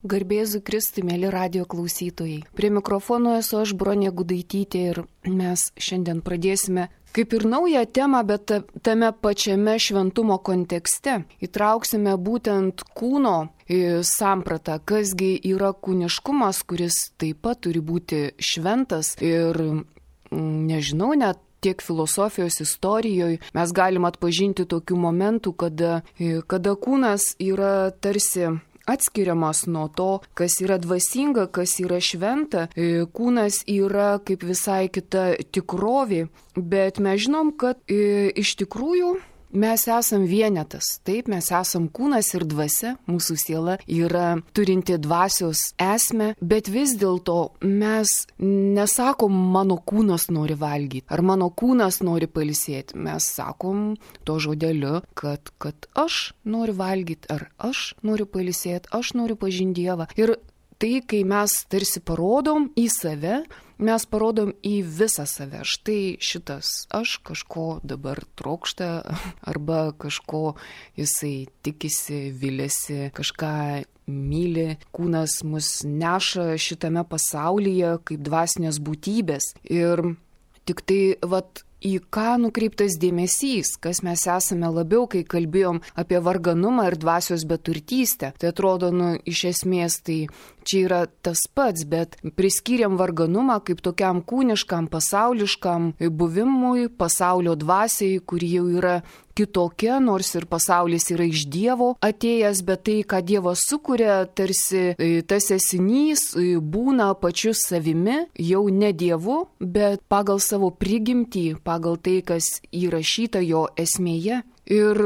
Garbėzu Kristui, mėly radijo klausytojai. Prie mikrofono esu aš, Bronė Gudaitytė, ir mes šiandien pradėsime kaip ir naują temą, bet tame pačiame šventumo kontekste. Įtrauksime būtent kūno sampratą, kasgi yra kūniškumas, kuris taip pat turi būti šventas ir nežinau, net tiek filosofijos istorijoje mes galim atpažinti tokių momentų, kada kūnas yra tarsi atskiriamas nuo to, kas yra dvasinga, kas yra šventa. Kūnas yra kaip visai kita tikrovė, bet mes žinom, kad iš tikrųjų mes esam vienetas. Taip, mes esam kūnas ir dvasia, mūsų siela yra turinti dvasios esmę, bet vis dėlto mes nesakom, mano kūnas nori valgyti, ar mano kūnas nori pailsėti. Mes sakom to žodeliu, kad aš noriu valgyti, ar aš noriu pailsėti, aš noriu pažinti Dievą. Ir tai, kai mes tarsi parodom į save, mes parodom į visą save. Štai šitas aš kažko dabar trokšta, arba kažko jisai tikisi, vilėsi, kažką myli. Kūnas mus neša šitame pasaulyje kaip dvasinės būtybės. Ir tik tai, į ką nukreiptas dėmesys, kas mes esame labiau, kai kalbėjom apie varganumą ir dvasios beturtystę. Tai atrodo, iš esmės tai čia yra tas pats, bet priskiriam varganumą kaip tokiam kūniškam, pasauliškam buvimui, pasaulio dvasiai, kuri jau yra kitokia, nors ir pasaulis yra iš Dievo atėjęs, bet tai, ką Dievas sukuria, tarsi tas esinys būna pačiu savimi, jau ne Dievu, bet pagal savo prigimtį, pagal tai, kas įrašyta jo esmėje. Ir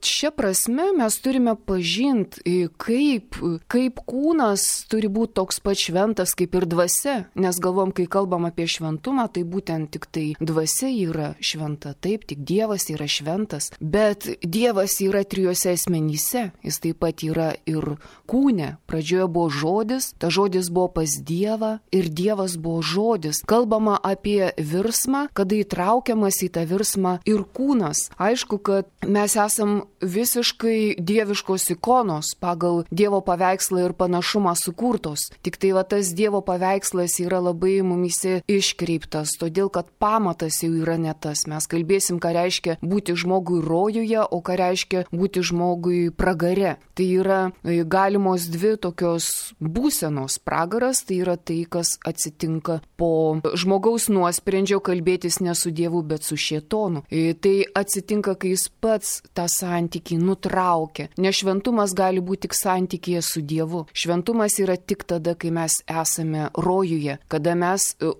šia prasme mes turime pažinti, kaip kūnas turi būti toks pat šventas kaip ir dvasia, nes galvom, kai kalbam apie šventumą, tai būtent tik tai dvasia yra šventa, taip, tik Dievas yra šventas, bet Dievas yra trijose asmenyse, jis taip pat yra ir kūne. Pradžioje buvo žodis, ta žodis buvo pas Dievą ir Dievas buvo žodis. Kalbama apie virsmą, kada įtraukiamas į tą virsmą ir kūnas. Aišku, kad mes esame visiškai dieviškos ikonos, pagal Dievo paveikslą ir panašumą sukurtos. Tik tai tas Dievo paveikslas yra labai mumyse iškreiptas, todėl kad pamatas jau yra ne tas. Mes kalbėsim, ką reiškia būti žmogui rojuje, o ką reiškia būti žmogui pragare. Tai yra galimos dvi tokios būsenos. Pragaras tai yra tai, kas atsitinka po žmogaus nuosprendžio kalbėtis ne su Dievu, bet su šėtonu. Tai atsitinka, kai jis pats tą santykį nutraukia. Nes šventumas gali būti tik santykėje su Dievu. Šventumas yra tik tada, kai mes esame rojuje,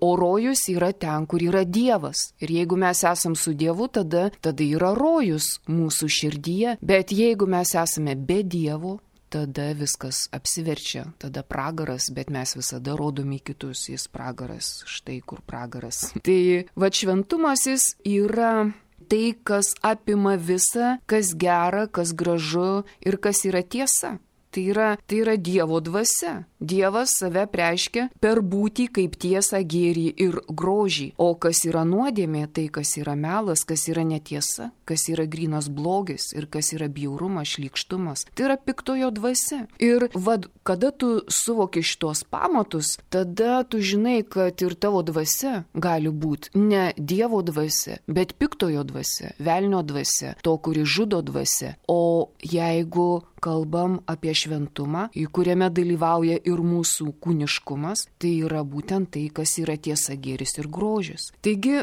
o rojus yra ten, kur yra Dievas. Ir jeigu mes esame su Dievu, tada yra rojus mūsų širdyje. Bet jeigu mes esame be Dievo, tada viskas apsiverčia, tada pragaras, bet mes visada rodome kitus, jis pragaras, štai kur pragaras. Tai šventumas jis yra tai, kas apima visą, kas gera, kas gražu ir kas yra tiesa. Tai yra Dievo dvasia. Dievas save reiškia per būtį kaip tiesą, gėrį ir grožį. O kas yra nuodėmė, tai kas yra melas, kas yra netiesa, kas yra grynas blogis ir kas yra bjaurumas, šlykštumas. Tai yra piktojo dvasia. Ir kada tu suvoki šitos pamatus, tada tu žinai, kad ir tavo dvasia gali būti ne Dievo dvasia, bet piktojo dvasia, velnio dvasia, to, kuri žudo dvasia. O jeigu kalbam apie šventumą, į kuriame dalyvauja ir mūsų kūniškumas, tai yra būtent tai, kas yra tiesa, gėris ir grožis. Taigi,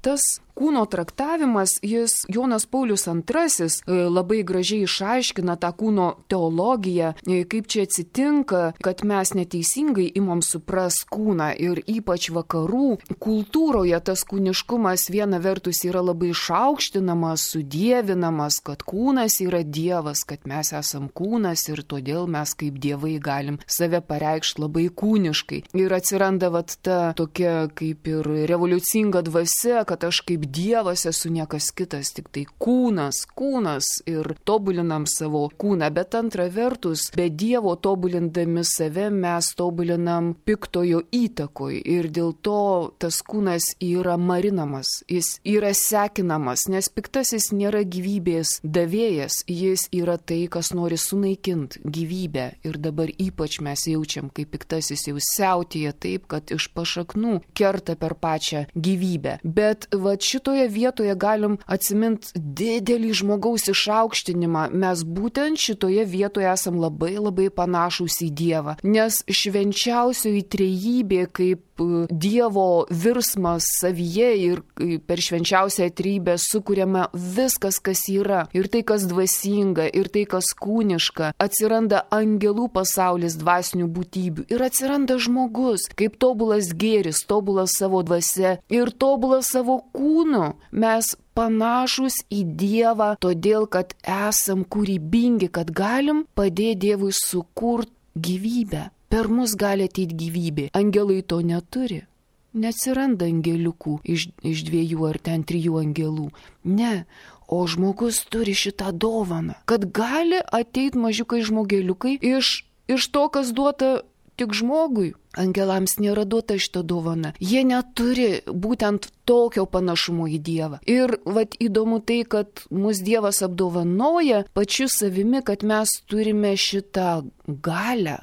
tas kūno traktavimas, Jonas Paulius II labai gražiai išaiškina tą kūno teologiją, kaip čia atsitinka, kad mes neteisingai imam supras kūną ir ypač vakarų kultūroje tas kūniškumas viena vertus yra labai išaukštinamas, sudievinamas, kad kūnas yra Dievas, kad mes esam kūnas ir todėl mes kaip dievai galim save pareikšti labai kūniškai. Ir atsiranda ta tokia kaip ir revoliucinga dvasia, kad aš kaip Dievas esu niekas kitas, tik tai kūnas ir tobulinam savo kūną, bet antra vertus, be Dievo tobulindami save mes tobulinam piktojo įtakoj ir dėl to tas kūnas yra marinamas, jis yra sekinamas, nes piktasis nėra gyvybės davėjas, jis yra tai, kas nori sunaikinti gyvybę ir dabar ypač mes jaučiam, kaip piktasis jau siautėja taip, kad iš pašaknų kerta per pačią gyvybę. Bet šitoje vietoje galim atsiminti didelį žmogaus išaukštinimą. Mes būtent šitoje vietoje esam labai panašūs į Dievą, nes švenčiausioji trejybė kaip Dievo virsmas savyje ir per švenčiausią trejybę sukuriama viskas, kas yra, ir tai, kas dvasinga, ir tai, kas kūniška. Atsiranda angelų pasaulis dvasinių būtybių ir atsiranda žmogus kaip tobulas gėris, tobulas savo dvasia ir tobulas savo kūnu. Mes panašus į Dievą, todėl, kad esam kūrybingi, kad galim padėti Dievui sukurti gyvybę. Per mus gali ateiti gyvybė. Angelai to neturi. Neatsiranda angeliukų iš 2 ar 3 angelų. Ne, o žmogus turi šitą dovaną, kad gali ateiti mažiukai žmogeliukai iš to, kas duota tik žmogui. Angelams nėra duota šitą dovaną. Jie neturi būtent tokio panašumo į Dievą. Ir įdomu tai, kad mus Dievas apdovanoja pačiu savimi, kad mes turime šitą galią,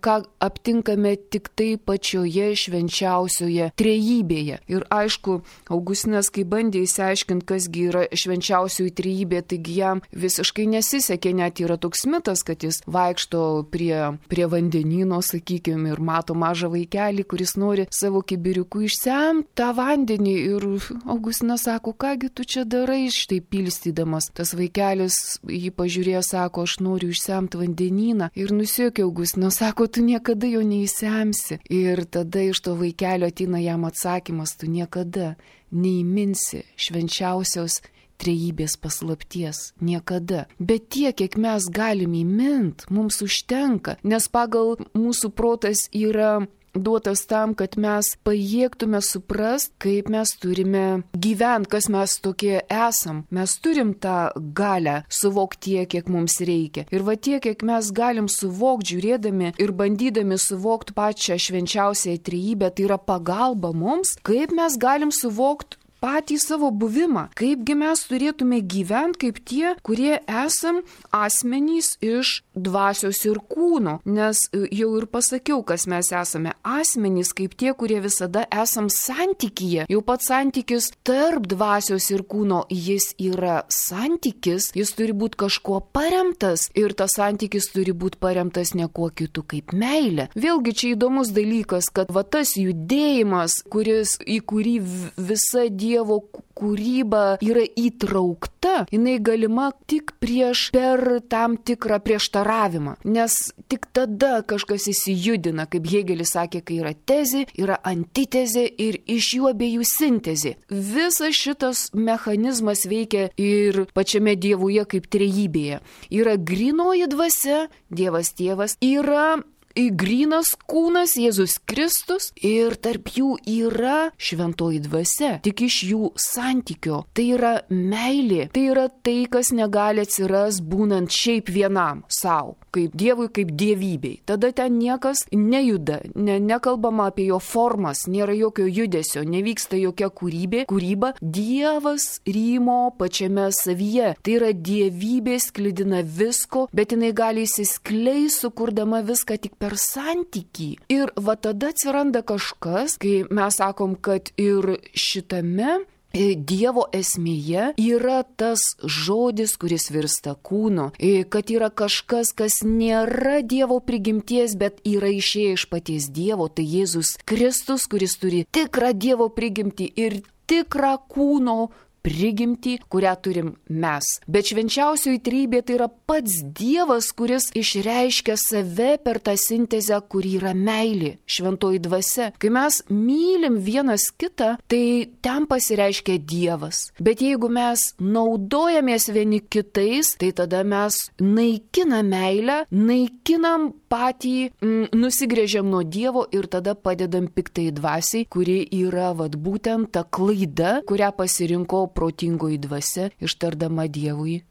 ką aptinkame tik tai pačioje švenčiausioje trejybėje. Ir aišku, Augustinas, kai bandė įsiaiškinti, kasgi yra švenčiausioji trejybė, taigi jam visiškai nesisekė, net yra toks mitas, kad jis vaikšto prie vandenyno, sakykime, ir mato mažą vaikelį, kuris nori savo kibiriuku išsemti tą vandenį. Ir Augustinas sako, kągi tu čia darai, štai pilstydamas. Tas vaikelis jį pažiūrėjo, sako, aš noriu išsemti vandenyną. Ir nusijuokė Augustinas, sako, tu niekada jo neįsemsi. Ir tada iš to vaikelio ateina jam atsakymas, tu niekada neįminsi švenčiausios trejybės paslapties. Niekada. Bet tiek, kiek mes galim įmint, mums užtenka, nes pagal mūsų protas yra duotas tam, kad mes pajėgtume suprast, kaip mes turime gyventi, kas mes tokie esam. Mes turim tą galią suvokti tiek, kiek mums reikia. Ir tiek, kiek mes galim suvokti, žiūrėdami ir bandydami suvokti pačią švenčiausią trejybę, tai yra pagalba mums, kaip mes galim suvokti patį savo buvimą, kaipgi mes turėtume gyventi kaip tie, kurie esam asmenys iš dvasios ir kūno, nes jau ir pasakiau, kas mes esame asmenys kaip tie, kurie visada esam santykyje. Jau pats santykis tarp dvasios ir kūno, jis yra santykis, jis turi būti kažkuo paremtas ir tas santykis turi būti paremtas ne kuo kitu kaip meilė. Vėlgi čia įdomus dalykas, kad tas judėjimas, į kurį visa Dievo kūryba yra įtraukta, jinai galima tik per tam tikrą prieštaravimą, nes tik tada kažkas įsijudina, kaip Hėgelis sakė, kai yra tezė, yra antitezė ir iš jų abiejų sintezė. Visas šitas mechanizmas veikia ir pačiame Dievuje kaip trejybėje. Yra grynoji dvasia, Dievas Tėvas, yra grynas kūnas Jėzus Kristus ir tarp jų yra šventoji dvasia, tik iš jų santykio. Tai yra meilė, tai yra tai, kas negali atsiras būnant šiaip vienam savo, kaip Dievui, kaip dievybei. Tada ten niekas nejuda, nekalbama apie jo formas, nėra jokio judesio, nevyksta jokia kūryba. Dievas rymo pačiame savyje. Tai yra dievybė sklidina visko, bet jinai gali įsiskleisti, sukurdama viską tik per santykį. Ir tada atsiranda kažkas, kai mes sakom, kad ir šitame Dievo esmėje yra tas žodis, kuris virsta kūnu, kad yra kažkas, kas nėra Dievo prigimties, bet yra išėję iš paties Dievo, tai Jėzus Kristus, kuris turi tikrą Dievo prigimtį ir tikrą kūno prigimtį, kurią turim mes. Bet švenčiausioji trejybė tai yra pats Dievas, kuris išreiškia save per tą sintezę, kuri yra meilė, šventoji dvasia. Kai mes mylim vienas kitą, tai ten pasireiškia Dievas. Bet jeigu mes naudojamės vieni kitais, tai tada mes naikinam meilę, naikinam patį, nusigrėžiam nuo Dievo ir tada padedam piktai dvasiai, kuri yra būtent ta klaida, kurią pasirinko protingoji dvasia, ištardama Dievui.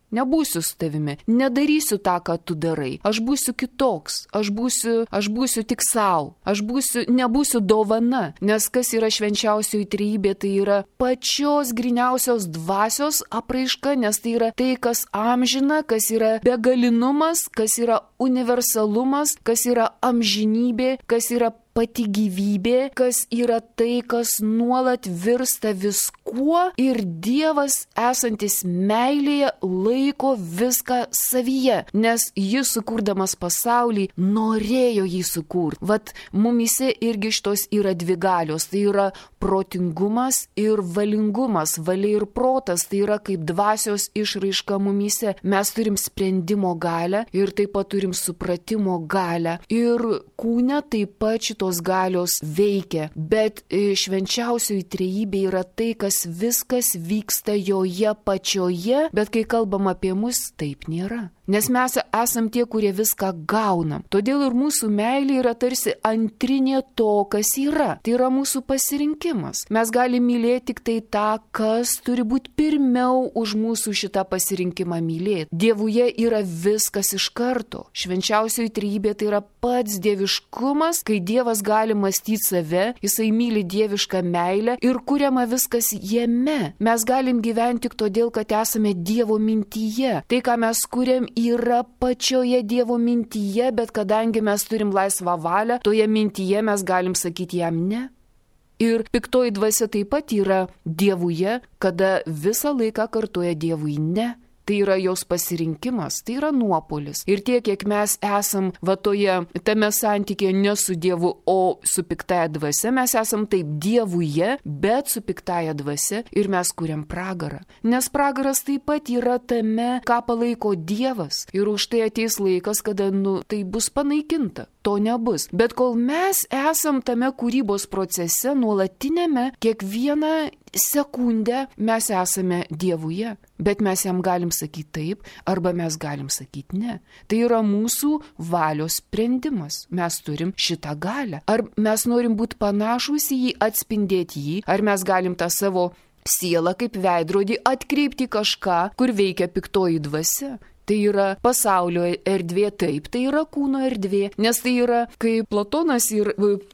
Nebūsiu su tavimi, nedarysiu tą, ką tu darai. Aš būsiu kitoks, aš būsiu tik savo, nebūsiu dovana. Nes kas yra švenčiausioji trejybė, tai yra pačios gryniausios dvasios apraiška, nes tai yra tai, kas amžina, kas yra begalinumas, kas yra universalumas, kas yra amžinybė, kas yra pati gyvybė, kas yra tai, kas nuolat virsta viskuo ir Dievas esantis meilėje laiko viską savyje, nes jis sukurdamas pasaulį norėjo jį sukurti. Mumise irgi šitos yra dvi galios, tai yra protingumas ir valingumas, valia ir protas, tai yra kaip dvasios išraiška mumise. Mes turim sprendimo galią ir taip pat turim supratimo galią ir kūne taip pat šitos galios veikia, bet švenčiausioji trejybė yra tai, kas viskas vyksta joje pačioje, bet kai kalbam apie mus, taip nėra. Nes mes esam tie, kurie viską gaunam. Todėl ir mūsų meilė yra tarsi antrinė to, kas yra. Tai yra mūsų pasirinkimas. Mes galime mylėti tik tai tą, kas turi būti pirmiau už mūsų šitą pasirinkimą mylėti. Dievuje yra viskas iš karto. Švenčiausioji trejybė tai yra pats dieviškumas, kai Dievas gali mąstyti save, jisai myli dievišką meilę ir kuriama viskas jame. Mes galim gyventi tik todėl, kad esame Dievo mintyje. Tai, ką mes kuriam, yra pačioje Dievo mintyje, bet kadangi mes turim laisvą valią, toje mintyje mes galim sakyti jam ne. Ir piktoji dvasia taip pat yra Dievuje, kada visą laiką kartoja Dievui ne. Tai yra jos pasirinkimas, tai yra nuopolis. Ir tiek, kiek mes esam tame santykėje ne su Dievu, o su piktaja dvasia, mes esam taip Dievuje, bet su piktaja dvasia ir mes kuriam pragarą. Nes pragaras taip pat yra tame, ką palaiko Dievas. Ir už tai ateis laikas, kada tai bus panaikinta. To nebus. Bet kol mes esam tame kūrybos procese, nuolatinėme, kiekvieną sekundę mes esame Dievuje. Bet mes jam galim sakyti taip, arba mes galim sakyti ne. Tai yra mūsų valios sprendimas. Mes turim šitą galią. Ar mes norim būti panašus į jį, atspindėti jį, ar mes galim tą savo sielą kaip veidrodį atkreipti kažką, kur veikia piktoji dvasia. Tai yra pasaulio erdvė, taip, tai yra kūno erdvė, nes tai yra, kai Platonas ir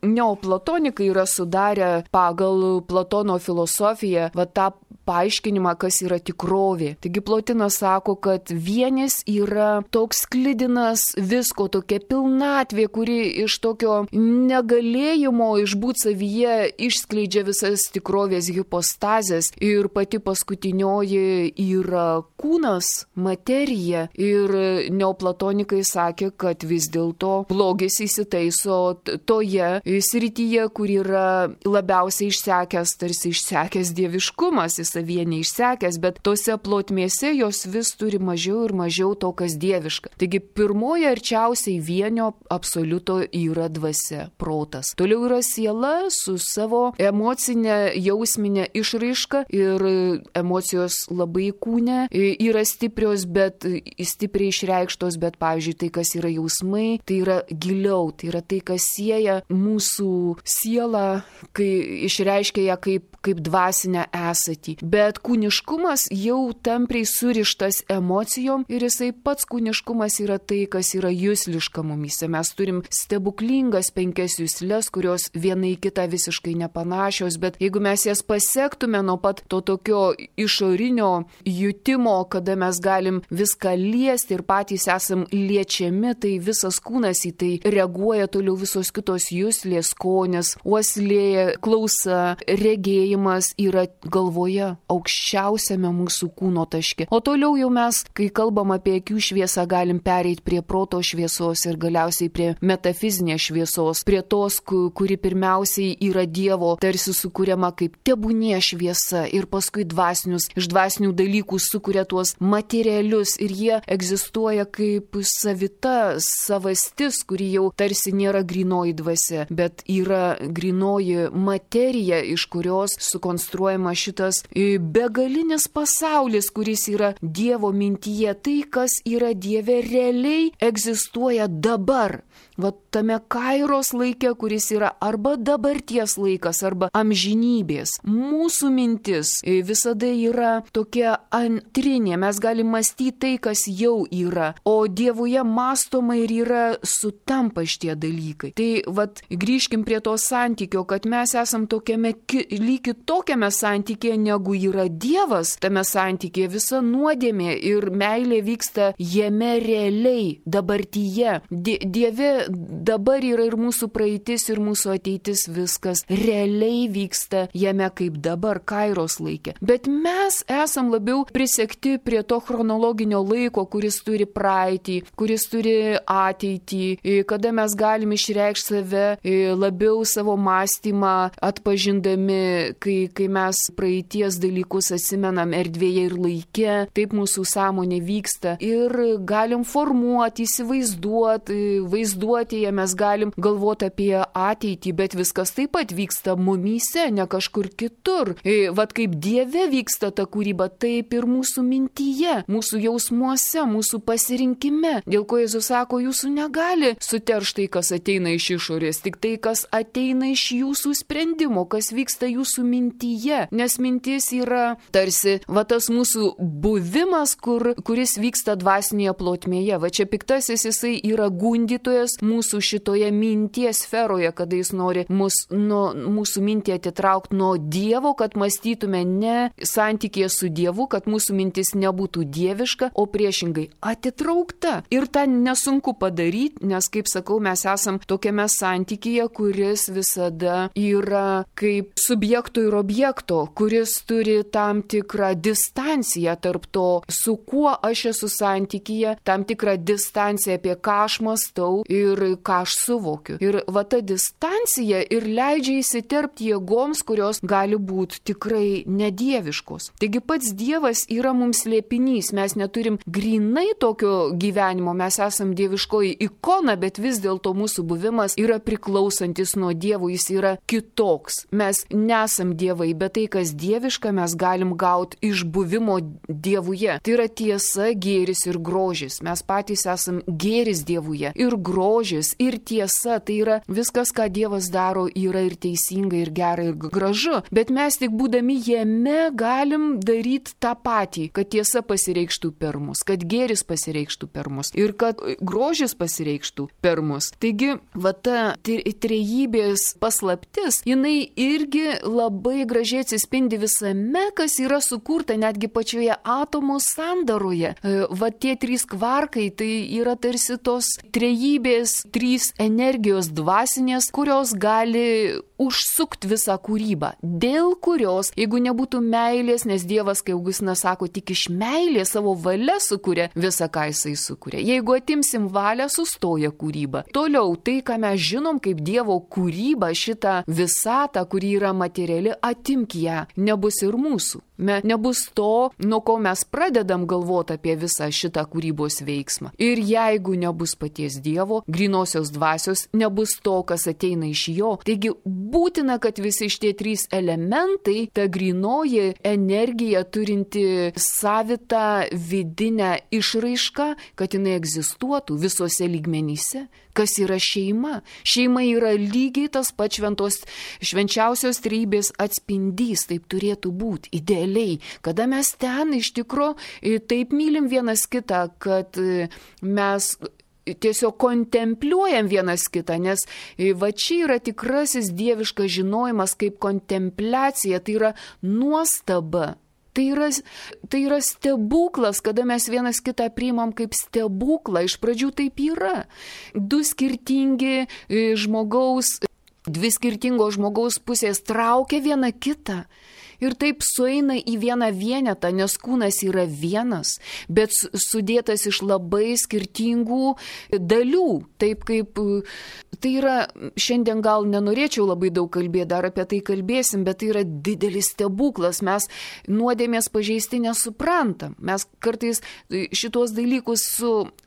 neoplatonikai yra sudarę pagal Platono filosofiją, tą paaiškinimą, kas yra tikrovė. Taigi Plotinas sako, kad vienis yra toks sklidinas visko, tokia pilnatvė, kuri iš tokio negalėjimo išbūt savyje išskleidžia visas tikrovės hipostazės ir pati paskutinioji yra kūnas, materija. Ir neoplatonikai sakė, kad vis dėlto blogis įsitaiso toje srityje, kur yra labiausiai išsekęs, tarsi išsekęs dieviškumas, jis savyje neišsekęs, bet tose plotmėse jos vis turi mažiau ir mažiau to, kas dieviška. Taigi pirmoji arčiausiai vienio absoliuto yra dvasia, protas. Toliau yra siela su savo emocinė, jausminė išraiška ir emocijos labai kūne yra stiprios, bet stipriai išreikštos, bet pavyzdžiui tai, kas yra jausmai, tai yra giliau, tai yra tai, kas sieja mūsų sielą, kai išreiškia ją kaip dvasinę esatį. Bet kūniškumas jau tampriai surištas emocijom ir jisai pats kūniškumas yra tai, kas yra jusliška mumyse. Mes turim stebuklingas 5 juslės, kurios viena į kitą visiškai nepanašios, bet jeigu mes jas pasektume nuo pat to tokio išorinio jutimo, kada mes galim viską liesti ir patys esam liečiami, tai visas kūnas į tai reaguoja, toliau visos kitos juslės, skonis, uoslė, klausa, regėjimas yra galvoje. aukščiausiame mūsų kūno taške. O toliau jau mes, kai kalbam apie akių šviesą, galim pereiti prie proto šviesos ir galiausiai prie metafizinės šviesos, prie tos, kuri pirmiausiai yra Dievo tarsi sukuriama kaip tebūnie šviesa ir paskui iš dvasinių dalykų sukuria tuos materialius ir jie egzistuoja kaip savastis, kuri jau tarsi nėra grynoji dvasia, bet yra grynoji materija, iš kurios sukonstruojama šitas begalinis pasaulis, kuris yra Dievo mintyje. Tai, kas yra Dieve, realiai egzistuoja dabar. Va tame kairos laike, kuris yra arba dabarties laikas, arba amžinybės. Mūsų mintis visada yra tokia antrinė. Mes galime mąstyti tai, kas jau yra. O Dievuje mąstoma ir yra sutampa šitie dalykai. Tai vat grįžkim prie to santykio, kad mes esam lyg kitokiame santykėje, negu yra Dievas. Tame santykėje visa nuodėmė ir meilė vyksta jame realiai, dabartyje. Dieve dabar yra ir mūsų praeitis, ir mūsų ateitis, viskas realiai vyksta jame kaip dabar, kairos laikė. Bet mes esam labiau prisekti prie to chronologinio laiko, kuris turi praeitį, kuris turi ateitį, kada mes galim išreikšti save labiau savo mąstymą atpažindami, kai mes praeities dalykus atsimenam erdvėje ir laike, taip mūsų sąmonė vyksta ir galim formuoti, vaizduoti, mes galim galvoti apie ateitį, bet viskas taip pat vyksta mumyse, ne kažkur kitur. Vat kaip Dieve vyksta ta kūryba, taip ir mūsų mintyje, mūsų jausmuose, mūsų pasirinkime. Dėl ko Jėzus sako, jūsų negali suteršti tai, kas ateina iš išorės, tik tai, kas ateina iš jūsų sprendimo, kas vyksta jūsų mintyje. Nes mintis yra tarsi va tas mūsų buvimas, kuris vyksta dvasinėje plotmėje. Va čia piktasis jisai yra gundytojas mūsų šitoje minties sferoje, kada jis nori mūsų mintį atitraukti nuo Dievo, kad mąstytume ne santykėje su Dievu, kad mūsų mintis nebūtų dieviška, o priešingai atitraukta. Ir tą nesunku padaryti, nes, kaip sakau, mes esam tokiame santykėje, kuris visada yra kaip subjekto ir objekto, kuris turi tam tikrą distanciją tarp to, su kuo aš esu santykėje, tam tikrą distanciją, apie ką aš mąstau ir ką aš suvokiu. Ir va ta distancija ir leidžia įsiterpti jėgoms, kurios gali būti tikrai nedieviškos. Taigi pats Dievas yra mums slėpinys, mes neturim grinai tokio gyvenimo, mes esam dieviškoji ikona, bet vis dėlto mūsų buvimas yra priklausantis nuo Dievo, jis yra kitoks. Mes nesam dievai, bet tai, kas dieviška, mes galim gauti iš buvimo Dievuje. Tai yra tiesa, gėris ir grožis. Mes patys esam gėris Dievuje ir grožis ir tiesa, tai yra viskas, ką Dievas daro, yra ir teisinga, ir gera, ir gražu. Bet mes tik būdami jame galim daryti tą patį, kad tiesa pasireikštų per mus, kad gėris pasireikštų per mus ir kad grožis pasireikštų per mus. Taigi, va ta trejybės paslaptis, jinai irgi labai gražiai atsispindi visame, kas yra sukurta netgi pačioje atomo sandaroje. Va tie trys kvarkai, tai yra tarsi tos trejybės, trys energijos dvasinės, kurios gali užsukti visą kūrybą, dėl kurios, jeigu nebūtų meilės, nes Dievas, kai Augustinas sako, tik iš meilės savo valia sukuria visą, ką jisai sukuria. Jeigu atimsim valią, sustoja kūryba. Toliau, tai, ką mes žinom kaip Dievo kūryba, šitą visatą, kuri yra materiali, atimk ją, nebus ir mūsų. Nebus to, nuo ko mes pradedam galvoti apie visą šitą kūrybos veiksmą. Ir jeigu nebus paties Dievo, grynosios dvasios, nebus to, kas ateina iš jo. Taigi būtina, kad visi šitie trys elementai, ta grynoji energija turinti savitą vidinę išraišką, kad jinai egzistuotų visose lygmenyse. Kas yra šeima? Šeima yra lygiai tas pats švenčiausios trejybės atspindys, taip turėtų būti, idealiai. Kada mes ten iš tikro taip mylim vienas kitą, kad mes tiesiog kontempliuojam vienas kitą, nes va čia yra tikrasis dieviškas žinojimas kaip kontempliacija, tai yra nuostaba. Tai yra stebuklas, kada mes vienas kitą priimam kaip stebuklą. Iš pradžių taip yra. Dvi skirtingos žmogaus pusės traukia vieną kitą. ir taip sueina į vieną vienetą, nes kūnas yra vienas, bet sudėtas iš labai skirtingų dalių. Taip kaip tai yra, šiandien gal nenorėčiau labai daug kalbėti, dar apie tai kalbėsim, bet tai yra didelis stebuklas. Mes nuodėmės pažeisti nesuprantam. Mes kartais šitos dalykus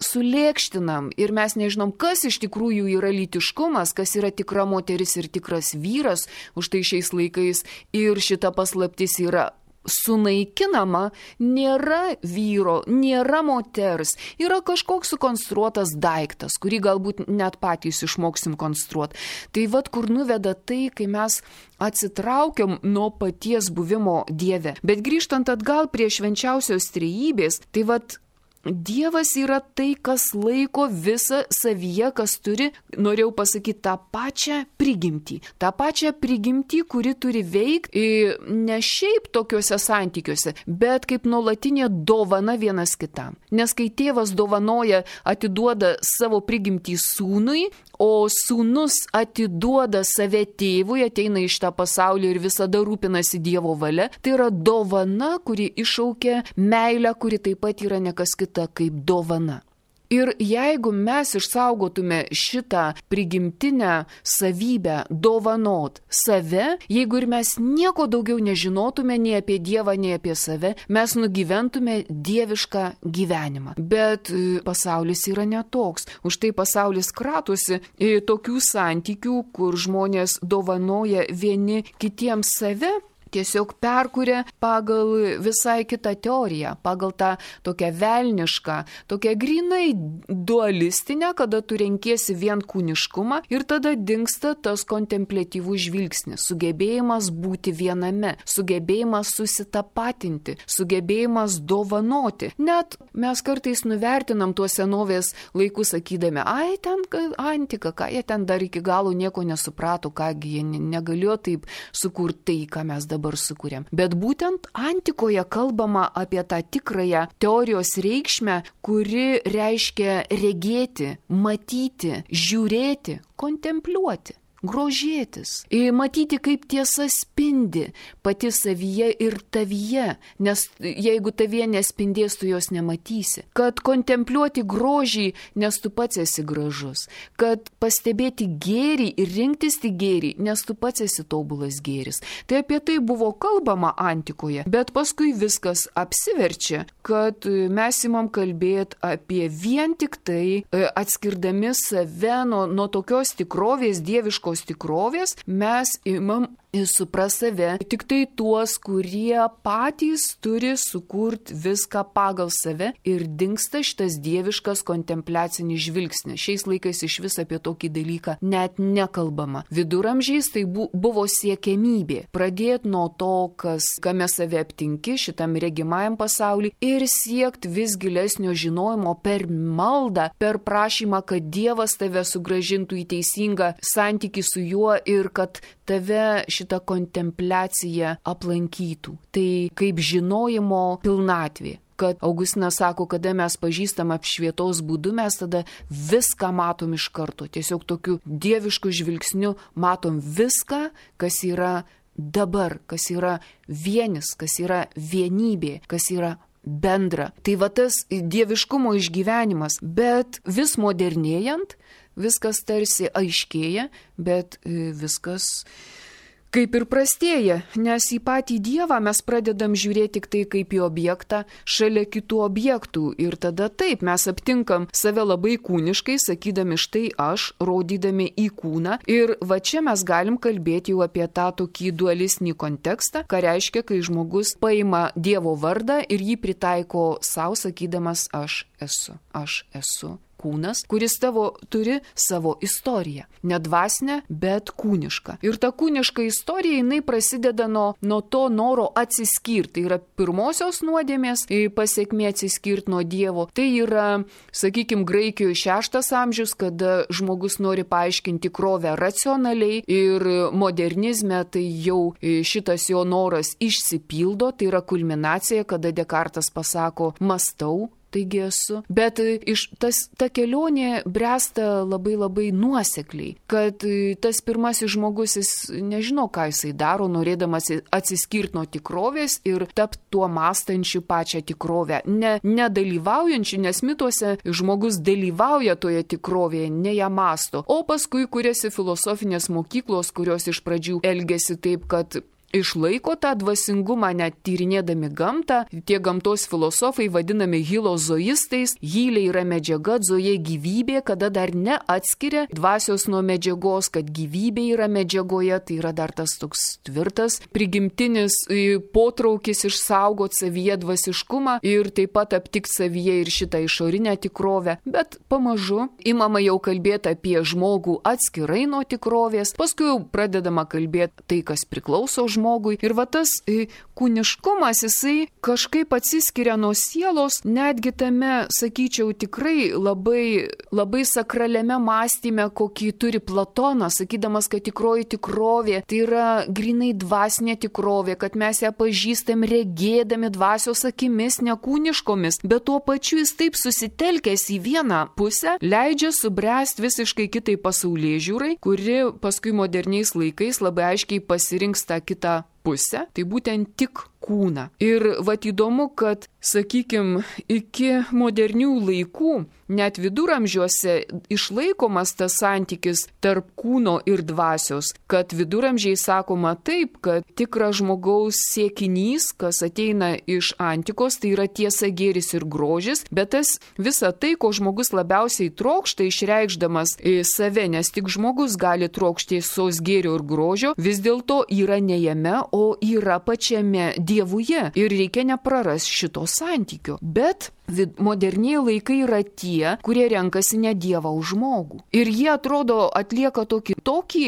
sulėkštinam ir mes nežinom, kas iš tikrųjų yra lytiškumas, kas yra tikra moteris ir tikras vyras. Už tai šiais laikais ir šita paslaptis yra sunaikinama, nėra vyro, nėra moters, yra kažkoks sukonstruotas daiktas, kurį galbūt net patys išmoksim konstruoti. Tai vat kur nuveda tai, kai mes atsitraukiam nuo paties buvimo Dieve. Bet grįžtant atgal prie švenčiausios trejybės, tai vat Dievas yra tai, kas laiko visą savyje, kas turi, norėjau pasakyti, tą pačią prigimtį. Ta pačią prigimtį, kuri turi veikti ne šiaip tokiuose santykiuose, bet kaip nuolatinė dovana vienas kitam. Nes kai tėvas dovanoja, atiduoda savo prigimtį sūnui, o sūnus atiduoda save tėvui, ateina iš tą pasaulį ir visada rūpinasi Dievo valia, tai yra dovana, kuri iššaukia meilę, kuri taip pat yra nekas kita kaip dovana. Ir jeigu mes išsaugotume šitą prigimtinę savybę dovanot save, jeigu ir mes nieko daugiau nežinotume nei apie Dievą, nei apie save, mes nugyventume dievišką gyvenimą. Bet pasaulis yra netoks. Už tai pasaulis kratosi tokių santykių, kur žmonės dovanoja vieni kitiems save, tiesiog perkuria pagal visai kitą teoriją, pagal tą tokią velnišką, tokią grinai dualistinę, kada tu renkiesi vien kūniškumą ir tada dingsta tas kontempliatyvus žvilgsnis, sugebėjimas būti viename, sugebėjimas susitapatinti, sugebėjimas dovanoti. Net mes kartais nuvertinam tuos senovės laikus sakydami, ai ten antika, ką jie ten dar iki galo nieko nesuprato, kągi jie negalėjo taip sukurti tai, ką mes dabar sukūrėm. Bet būtent antikoje kalbama apie tą tikrąją teorijos reikšmę, kuri reiškia regėti, matyti, žiūrėti, kontempliuoti. Grožėtis, matyti, kaip tiesa spindi pati savyje ir tavyje, nes jeigu tavyje nespindės, tu jos nematysi. Kad kontempliuoti grožį, nes tu pats esi gražus. Kad pastebėti gėrį ir rinktis tik gėrį, nes tu pats esi tobulas gėris. Tai apie tai buvo kalbama antikoje, bet paskui viskas apsiverčia, kad mes imam kalbėti apie vien tik tai, atskirdami save nuo tokios tikrovės, dieviškos tikrovės, mes imam supras save tik tai tuos, kurie patys turi sukurti viską pagal save ir dingsta šitas dieviškas kontempliacinis žvilgsnis. Šiais laikais iš vis apie tokį dalyką net nekalbama. Viduramžiais tai buvo siekiamybė. Pradėti nuo to, kame save aptinki šitam regimajam pasauliui ir siekti vis gilesnio žinojimo per maldą, per prašymą, kad Dievas tave sugrąžintų į teisingą santykį su juo ir kad tave šitą kontempliaciją aplankytų. Tai kaip žinojimo pilnatvė. Kad Augustinas sako, kada mes pažįstam apšvietos būdu, mes tada viską matom iš karto. Tiesiog tokiu dievišku žvilgsniu matom viską, kas yra dabar, kas yra vienis, kas yra vienybė, kas yra bendra. Tai va tas dieviškumo išgyvenimas, bet vis modernėjant, viskas tarsi aiškėja, bet viskas kaip ir prastėja, nes į patį Dievą mes pradedam žiūrėti tik tai kaip į objektą šalia kitų objektų. Ir tada taip, mes aptinkam save labai kūniškai, sakydami štai aš, rodydami į kūną. Ir va čia mes galim kalbėti jau apie tą tokį dualistinį kontekstą, ką reiškia, kai žmogus paima Dievo vardą ir jį pritaiko savo, sakydamas aš esu. Kūnas, kuris turi savo istoriją. Ne dvasinę, bet kūnišką. Ir ta kūniška istorija, jinai prasideda nuo to noro atsiskirti. Tai yra pirmosios nuodėmės pasekmė atsiskirti nuo Dievo. Tai yra, sakykime, Graikijoje 6 amžius, kada žmogus nori paaiškinti tikrovę racionaliai ir modernizme tai jau šitas jo noras išsipildo. Tai yra kulminacija, kada Dekartas pasako, mąstau, taigi esu. Bet ta kelionė bręsta labai nuosekliai, kad tas pirmasis žmogus, jis nežino, ką jisai daro, norėdamas atsiskirti nuo tikrovės ir tapti tuo mąstančiu pačią tikrovę. Nedalyvaujančiu, nes mituose žmogus dalyvauja toje tikrovėje, ne ją mąsto. O paskui kuriasi filosofinės mokyklos, kurios iš pradžių elgesi taip, kad išlaiko tą dvasingumą, net tyrinėdami gamtą. Tie gamtos filosofai vadinami hilozoistais. Hylė yra medžiaga, zoje gyvybė, kada dar neatskiria dvasios nuo medžiagos, kad gyvybė yra medžiagoje, tai yra dar tas toks tvirtas prigimtinis potraukis išsaugoti savyje dvasiškumą ir taip pat aptikti savyje ir šitą išorinę tikrovę. Bet pamažu imama jau kalbėti apie žmogų atskirai nuo tikrovės, paskui jau pradedama kalbėti tai, kas priklauso žmogui. Ir va tas kūniškumas, jisai kažkaip atsiskiria nuo sielos, netgi tame, sakyčiau, tikrai labai sakraliame mąstyme, kokį turi Platonas, sakydamas, kad tikroji tikrovė tai yra grinai dvasinė tikrovė, kad mes ją pažįstam regėdami dvasios akimis, nekūniškomis, bet tuo pačiu jis taip susitelkęs į vieną pusę, leidžia subręsti visiškai kitai pasaulėžiūrai, kuri paskui moderniais laikais labai aiškiai pasirinks tą kitą pusę, tai būtent tik kūną. Ir vat įdomu, kad, sakykime, iki modernių laikų, net viduramžiuose išlaikomas tas santykis tarp kūno ir dvasios, kad viduramžiai sakoma taip, kad tikras žmogaus siekinys, kas ateina iš antikos, tai yra tiesa, gėris ir grožis, bet tas visa tai, ko žmogus labiausiai trokšta, išreikšdamas save, nes tik žmogus gali trokšti tiesos, gėrio ir grožio, vis dėlto yra ne jame, o yra pačiame Dievuje ir reikia neprarasti šito santykio. Bet moderniai laikai yra tie, kurie renkasi ne Dievą už žmogų. Ir jie atrodo atlieka tokį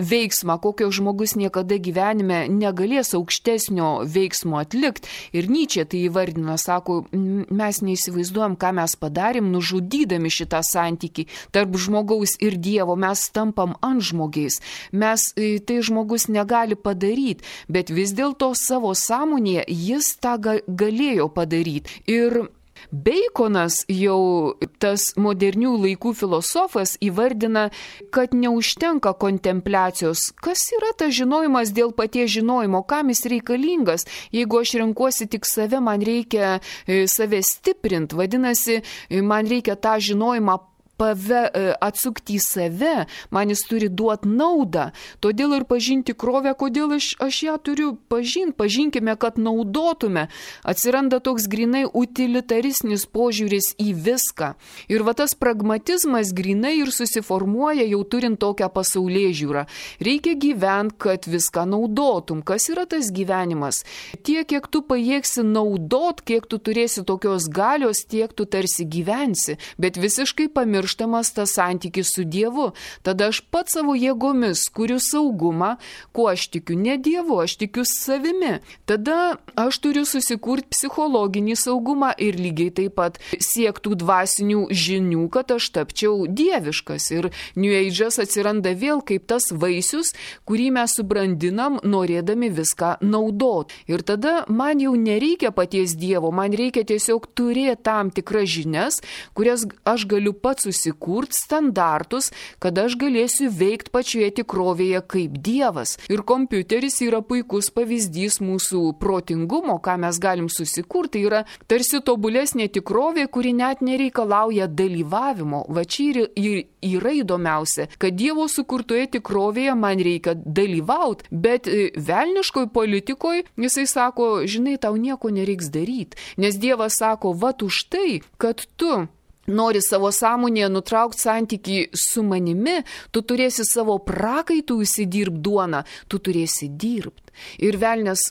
veiksmą, kokio žmogus niekada gyvenime negalės aukštesnio veiksmo atlikti. Ir Nyčė tai įvardina, sako, mes neįsivaizduojam, ką mes padarėm, nužudydami šitą santykį tarp žmogaus ir Dievo. Mes tampam antžmogiais. Tai žmogus negali padaryti, bet vis dėlto savo sąmonėje jis tą galėjo padaryti. Ir Beikonas, jau tas modernių laikų filosofas, įvardina, kad neužtenka kontempliacijos. Kas yra tas žinojimas dėl paties žinojimo, kam jis reikalingas? Jeigu aš renkuosi tik save, man reikia save stiprinti, vadinasi, man reikia tą žinojimą atsukti į save, man jis turi duoti naudą. Todėl ir pažinti tikrovę, kodėl aš ją turiu pažinti. Pažinkime, kad naudotume. Atsiranda toks grinai utilitaristinis požiūris į viską. Ir va tas pragmatizmas grinai ir susiformuoja jau turint tokią pasaulėžiūrą. Reikia gyventi, kad viską naudotum. Kas yra tas gyvenimas? Tiek, kiek tu pajėgsi naudot, kiek tu turėsi tokios galios, tiek tu tarsi gyvensi. Bet visiškai pamirštamas tas santykis su Dievu. Tada aš pats savo jėgomis kuriu saugumą, kuo aš tikiu ne Dievu, aš tikiu savimi. Tada aš turiu susikurti psichologinį saugumą ir lygiai taip pat siektų dvasinių žinių, kad aš tapčiau dieviškas. Ir New Age'as atsiranda vėl kaip tas vaisius, kurį mes subrandinam, norėdami viską naudot. Ir tada man jau nereikia paties Dievo, man reikia tiesiog turėti tam tikras žinias, kurias aš galiu pats susikurti, standartus, kad aš galėsiu veikti pačioje tikrovėje kaip Dievas. Ir kompiuteris yra puikus pavyzdys mūsų protingumo, ką mes galim susikurti. Tai yra tarsi tobulesnė tikrovė, kuri net nereikalauja dalyvavimo. Va čia yra įdomiausia, kad Dievo sukurtoje tikrovėje man reikia dalyvauti, bet velniškoj politikoje jisai sako, žinai, tau nieko nereiks daryti. Nes Dievas sako, vat už tai, kad tu nori savo sąmonėje nutraukti santykį su manimi, tu turėsi savo prakaitų įsidirbti duoną, tu turėsi dirbti. Ir velnias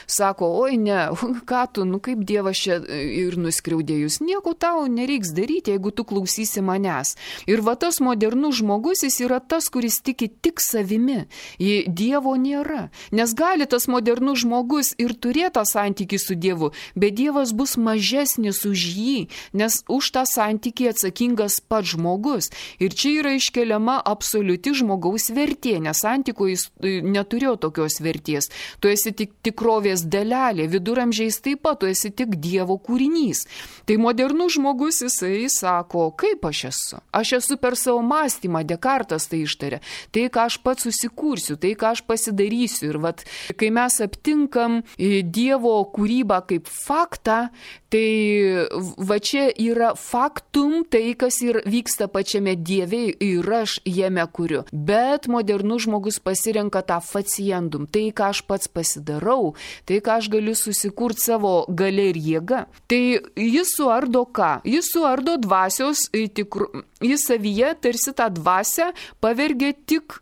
sako, oi ne, ką tu, kaip Dievas čia ir nuskriaudėjus, nieko tau nereiks daryti, jeigu tu klausysi manęs. Ir va tas modernus žmogus, jis yra tas, kuris tiki tik savimi, Dievo nėra. Nes gali tas modernus žmogus ir turėti tą santykį su Dievu, bet Dievas bus mažesnis už jį, nes už tą santykį atsakingas pats žmogus. Ir čia yra iškeliama absoliuti žmogaus vertė, nes santyko jis neturėjo tokios vertės. tu esi tik tikrovės dalelė, viduramžiais taip pat, tu esi tik Dievo kūrinys. Tai modernus žmogus, jisai sako, kaip aš esu? Aš esu per savo mąstymą, Dekartas tai ištarė, tai ką aš pats susikursiu, tai ką aš pasidarysiu. Ir vat, kai mes aptinkam Dievo kūrybą kaip faktą, tai va čia yra faktum, tai kas ir vyksta pačiame Dieve ir aš jame kuriu. Bet modernus žmogus pasirenka tą faciendum, tai ką aš pats pasidarau, tai ką aš galiu susikurti savo galia ir jėga. Tai jis suardo ką? Jis suardo dvasios, jis savyje tarsi tą dvasią pavergia tik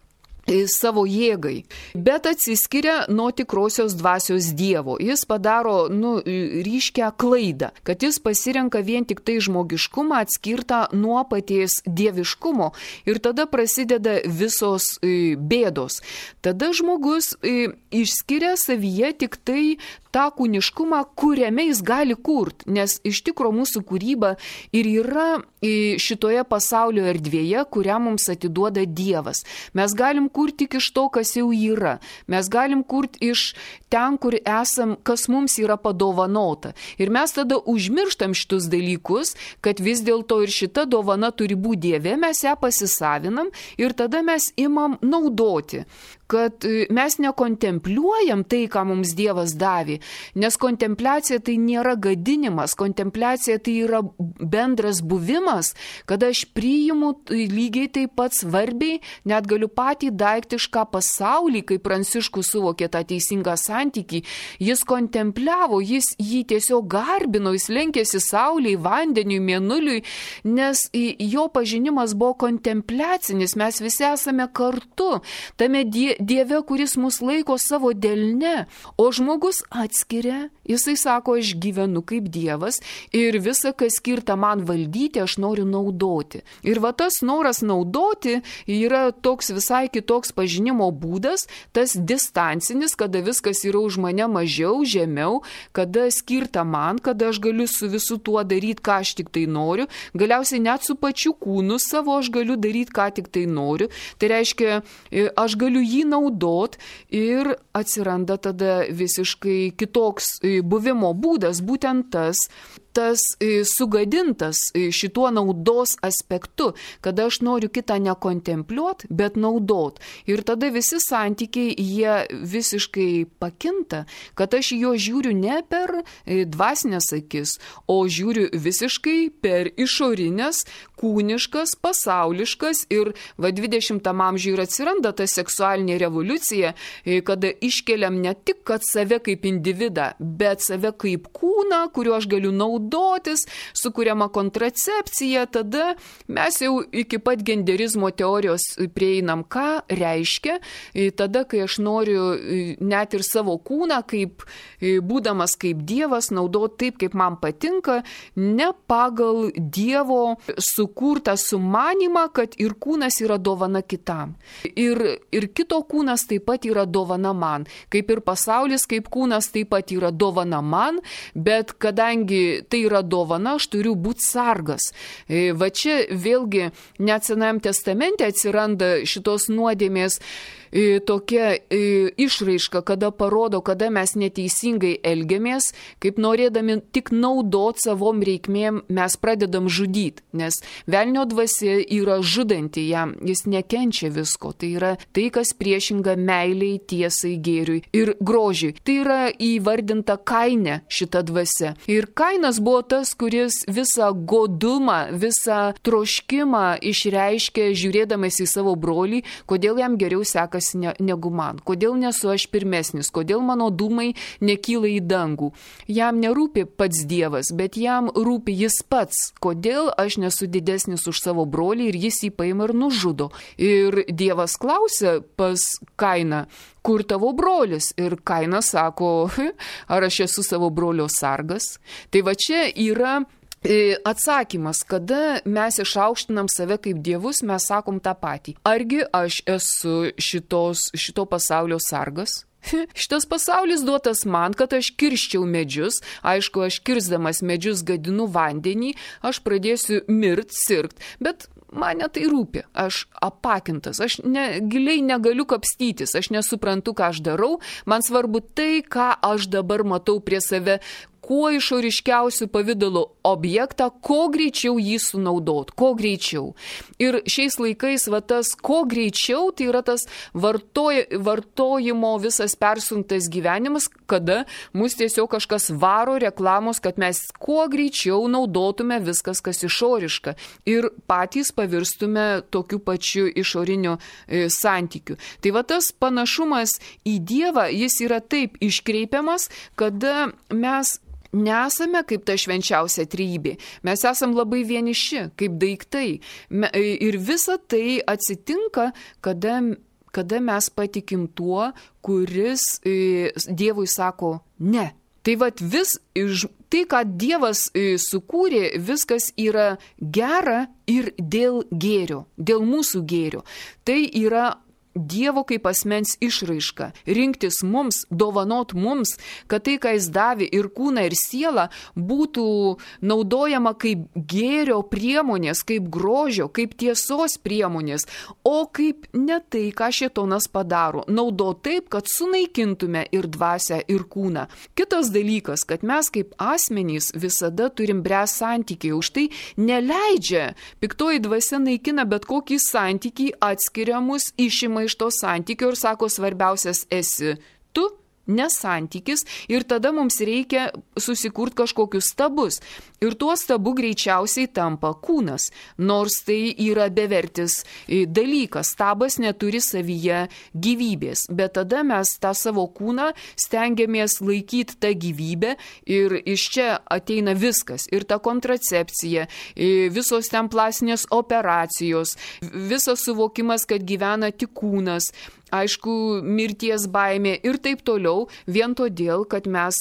savo jėgai, bet atsiskiria nuo tikrosios dvasios Dievo. Jis padaro, ryškę klaidą, kad jis pasirenka vien tik tai žmogiškumą atskirtą nuo paties dieviškumo ir tada prasideda visos bėdos. Tada žmogus išskiria savyje tik tai tą kūniškumą, kuriame jis gali kurti, nes iš tikro mūsų kūryba ir yra šitoje pasaulio erdvėje, kurią mums atiduoda Dievas. Mes galim kurti tik iš to, kas jau yra. Mes galim kurti iš ten, kur esam, kas mums yra padovanota. Ir mes tada užmirštam šitus dalykus, kad vis dėlto ir šita dovana turi būti Dieve, mes ją pasisavinam ir tada mes imam naudoti. Kad mes nekontempliuojam tai, ką mums Dievas davė, nes kontempliacija tai nėra gadinimas, kontempliacija tai yra bendras buvimas, kada aš priimu lygiai taip pat svarbiai, net galiu patį daiktišką pasaulį, kaip Pranciškus suvokė tą teisingą santykį, jis kontempliavo, jis jį tiesiog garbino, jis lenkėsi saulei, vandeniui, mėnuliui, nes jo pažinimas buvo kontempliacinis, mes visi esame kartu, tame Dieve, kuris mus laiko savo delne, o žmogus atskiria, jisai sako, aš gyvenu kaip Dievas ir visa, kas skirta man valdyti, aš noriu naudoti. Ir va tas noras naudoti yra toks visai kitoks pažinimo būdas, tas distancinis, kada viskas yra už mane mažiau, žemiau, kada skirta man, kada aš galiu su visu tuo daryti, ką aš tik tai noriu, galiausiai net su pačiu kūnu savo aš galiu daryti, ką tik tai noriu. Tai reiškia, aš galiu jį naudot ir atsiranda tada visiškai kitoks buvimo būdas, būtent tas sugadintas šituo naudos aspektu, kada aš noriu kitą nekontempliuot, bet naudot. Ir tada visi santykiai, jie visiškai pakinta, kad aš jo žiūriu ne per dvasinės akis, o žiūriu visiškai per išorinės, kūniškas, pasauliškas ir 20 amžiuje ir atsiranda ta seksualinė revoliucija, kada iškeliam ne tik, kad save kaip individą, bet save kaip kūną, kuriuo aš galiu naudotis, sukuriama kontracepcija, tada mes jau iki pat genderizmo teorijos prieinam, ką reiškia, tada, kai aš noriu net ir savo kūną, kaip būdamas kaip Dievas, naudoti taip, kaip man patinka, ne pagal Dievo sukurtą sumanimą, kad ir kūnas yra dovana kitam. Ir kito kūnas taip pat yra dovana man. Kaip ir pasaulis, kaip kūnas taip pat yra dovana man, bet kadangi tai yra dovana, aš turiu būti sargas. Va čia vėlgi net Senajame testamente atsiranda šitos nuodėmės tokia išraiška, kada parodo, kada mes neteisingai elgiamės, kaip norėdami tik naudot savom reikmėm, mes pradedam žudyti, nes velnio dvasia yra žudanti jam, jis nekenčia visko, tai yra tai, kas priešinga meiliai, tiesai, gėriui ir grožiui. Tai yra įvardinta Kaine šita dvasia. Ir Kainas buvo tas, kuris visą godumą, visą troškimą išreiškė, žiūrėdamas į savo brolį, kodėl jam geriau sekasi negu man, kodėl nesu aš pirmesnis, kodėl mano dūmai nekyla į dangų. Jam nerūpi pats Dievas, bet jam rūpi jis pats, kodėl aš nesu didesnis už savo brolį ir jis jį paima ir nužudo. Ir Dievas klausia pas Kainą, kur tavo brolis? Ir Kainas sako, ar aš esu savo brolio sargas? Tai va čia yra atsakymas, kada mes išaukštinam save kaip dievus, mes sakom tą patį. Argi aš esu šito pasaulio sargas? Šitas pasaulis duotas man, kad aš kirščiau medžius, aišku, aš kirsdamas medžius gadinu vandenį, aš pradėsiu sirgt, bet man tai rūpi, aš apakintas, aš giliai negaliu kapstytis, aš nesuprantu, ką aš darau, man svarbu tai, ką aš dabar matau prie save, kuo išoriškiausių pavydalų objektą, kuo greičiau jį sunaudot, kuo greičiau. Ir šiais laikais tas kuo greičiau, tai yra tas vartojimo visas persunktas gyvenimas, kada mus tiesiog kažkas varo reklamos, kad mes kuo greičiau naudotume viskas, kas išoriška. Ir patys pavirstume tokiu pačiu išoriniu santykiu. Tai tas panašumas į Dievą, jis yra taip iškreipiamas, kada mes nesame kaip ta švenčiausia trejybė. Mes esam labai vieniši, kaip daiktai. Ir visa tai atsitinka, kada mes patikim tuo, kuris Dievui sako ne. Tai tai, ką Dievas sukūrė, viskas yra gera ir dėl gėrio, dėl mūsų gėrio. Tai yra Dievo kaip asmens išraiška, rinktis mums, dovanot mums, kad tai, ką jis davė ir kūną, ir sielą, būtų naudojama kaip gėrio priemonės, kaip grožio, kaip tiesos priemonės, o kaip ne tai, ką šėtonas padaro, naudo taip, kad sunaikintume ir dvasią, ir kūną. Kitas dalykas, kad mes kaip asmenys visada turim bręs santykiai, už tai neleidžia, piktoji dvasia naikina bet kokį santykį, atskiria mus, išima iš to santykio ir sako, svarbiausias esi tu, nesantykis, ir tada mums reikia susikurti kažkokius stabus. Ir tuo stabu greičiausiai tampa kūnas, nors tai yra bevertis dalykas. Stabas neturi savyje gyvybės, bet tada mes tą savo kūną stengiamės laikyti tą gyvybę ir iš čia ateina viskas. Ir ta kontracepcija, visos ten plastinės operacijos, visas suvokimas, kad gyvena tik kūnas, aišku, mirties baimė ir taip toliau, vien todėl, kad mes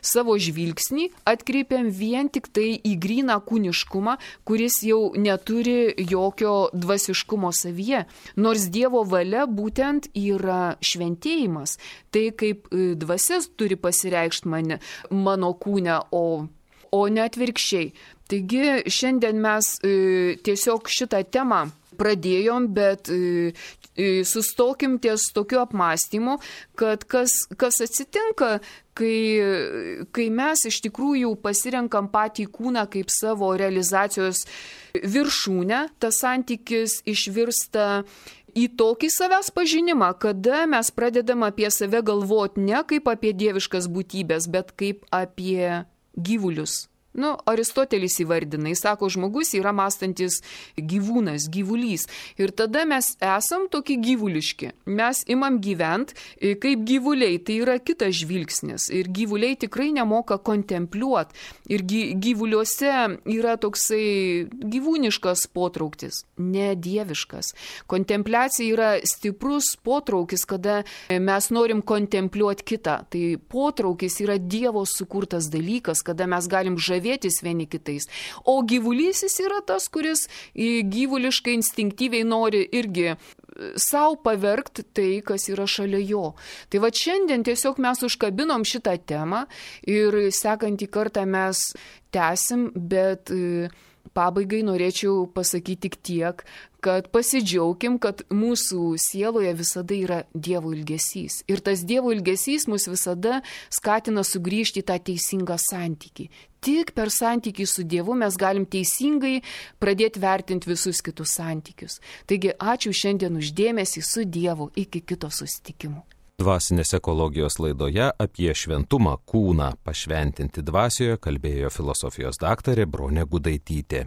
savo žvilgsnį atkreipiam vien tik tai į gryną kūniškumą, kuris jau neturi jokio dvasiškumo savyje. Nors Dievo valia būtent yra šventėjimas. Tai kaip dvasias turi pasireikšti mano kūne, o ne atvirkščiai. Taigi šiandien mes tiesiog šitą temą pradėjom, bet sustokim ties tokiu apmąstymu, kad kas atsitinka, kai mes iš tikrųjų pasirenkam patį kūną kaip savo realizacijos viršūnę, tas santykis išvirsta į tokį savęs pažinimą, kada mes pradedam apie save galvoti ne kaip apie dieviškas būtybės, bet kaip apie gyvulius. Aristotelis įvardina, jis sako, žmogus yra mąstantis gyvūnas, gyvulys. Ir tada mes esam tokie gyvuliški. Mes imam gyventi kaip gyvuliai, tai yra kitas žvilgsnis. Ir gyvuliai tikrai nemoka kontempliuoti. Ir gyvuliuose yra toksai gyvūniškas potrauktis, ne dieviškas. Kontempliacija yra stiprus potraukis, kada mes norim kontempliuoti kitą. Tai potraukis yra Dievo sukurtas dalykas, kada mes galim žavėtis vieni kitais. O gyvulysis yra tas, kuris gyvuliškai instinktyviai nori irgi savo pavergti tai, kas yra šalia jo. Tai šiandien tiesiog mes užkabinom šitą temą ir sekantį kartą mes tęsim, bet pabaigai norėčiau pasakyti tik tiek, kad pasidžiaugim, kad mūsų sieloje visada yra Dievo ilgesys. Ir tas Dievo ilgesys mus visada skatina sugrįžti į tą teisingą santykį. Tik per santykį su Dievu mes galim teisingai pradėti vertinti visus kitus santykius. Taigi ačiū šiandien už dėmesį, su Dievu, iki kito susitikimo. Dvasinės ekologijos laidoje apie šventumą kūną pašventinti dvasioje kalbėjo filosofijos daktarė Bronė Gudaitytė.